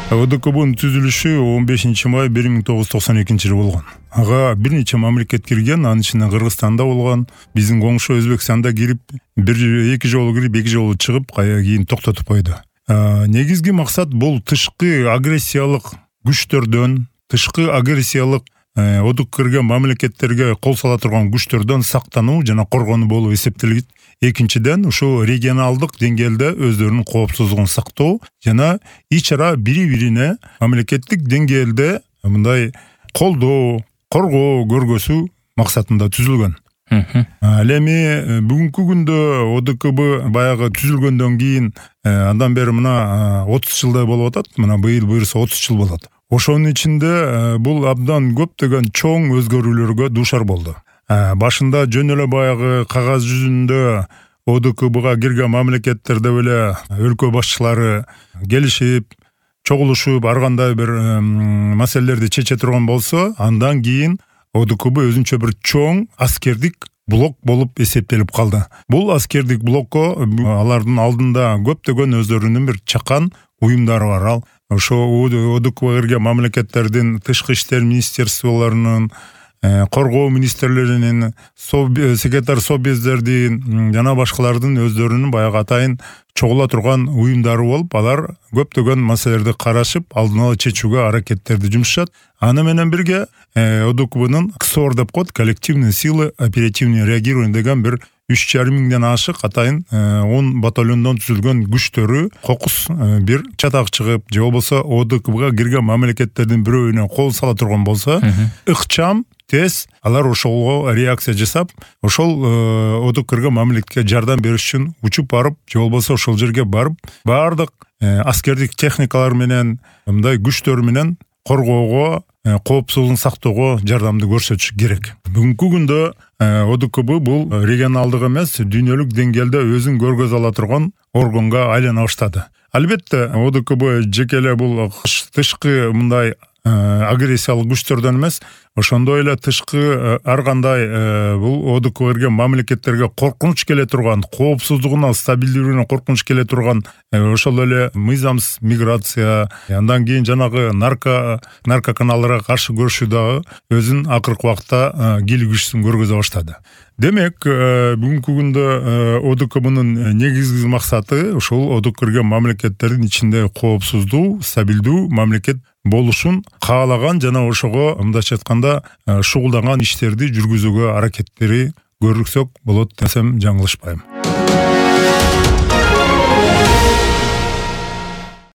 ОДКБнын түзүлүшү 15 май 1992 болгон. Ага бир нече мамлекет кирген, анын ичинде Кыргызстанда болгон, биздин коңшу Өзбекстанда кирип, эки жолу кирип, эки жолу чыгып, кийин токтотуп койду. Негизги максат бул тышкы агрессиялык күчтөрдөн, тышкы агрессиялык ОДК кирген мамлекеттерге кол сала турган күчтөрдөн сактануу жана коргонуу болуп эсептелет. Экинчиден, ушул регионалдык деңгээлде өздөрүнүн коопсуздугун сактоо жана ич ара бири-бирине мамлекеттик деңгээлде мындай колдоо, коргоо көргөзүү максатында түзүлгөн. Ал эми бүгүнкү күндө ОДКБ баягы түзүлгөндөн кийин андан бери мына 30 жылдай болуп атат. Мына быйыл буюрса 30 жыл болот. Ошонун ичинде бул абдан көптөгөн чоң өзгөрүүлөргө дуушар болду. Башында жөн эле баягы кагаз жүзүндө ОДКБга кирген мамлекеттерде эле өлкө башчылары келишип, чогулушуп, ар кандай бир маселелерди чече турган болсо, андан кийин ОДКБ өзүнчө бир чоң аскердик блок болуп эсептелип калды. Бул аскердик блокко алардын алдында көптөгөн өздөрүнүн бир чакан уюмдары бар. Ошо ОДКБга кирген мамлекеттердин тышкы иштер министерстволорунун, коргоо министрлеринин, секретарь собездердин жана башкалардын өздөрүнүн баягы атайын чогула турган уюмдары болуп, алар көптөгөн маселелерди карашып, алдын ала чечүүгө аракеттерди жумшашат. Аны менен бирге ОДКБнын КСОР деп коет, коллективные силы оперативного реагирования деген бир 3,5 миңден ашык атайын 10 батальондон түзүлгөн күчтөрү кокус бир чатак чыгып, же болбосо ОДКБга кирген мамлекеттердин бирөөнө кол сала турган болсо, ыкчам тез алар ошого реакция жасап, ошол ОДК кирген мамлекетке жардам бериш үчүн учуп барып, же болбосо ошол жерге барып, баардык аскердик техникалар менен, мындай күчтөр менен коргоого, коопсуздугун сактоого жардамды көрсөтүш керек. Бүгүнкү күндө ОДКБ бул регионалдык эмес, дүйнөлүк деңгээлде өзүн көргөзө ала турган органга айлана баштады. Албетте, ОДКБ жеке эле бул тышкы мындай агрессиялык күчтөрдөн эмес, ошондой эле тышкы ар кандай бул ОДК кирген мамлекеттерге коркунуч келе турган, коопсуздугуна, стабилдүүлүгүнө коркунуч келе турган ошол эле мыйзамсыз миграция, андан кийин жанагы наркоканалдарга каршы күрөшүү дагы өзүнүн акыркы убакта кийлик күчүн көргөзө баштады. Демек, бүгүнкү күндө ОДКБнын негизги максаты ушул ОДК кирген мамлекеттердин ичинде коопсуздуу, стабилдүү мамлекет болушун каалаган жана ошого мындайча айтканда шугулданган иштерди жүргүзүүгө аракеттери көрсөк болот десем жаңылышпайм.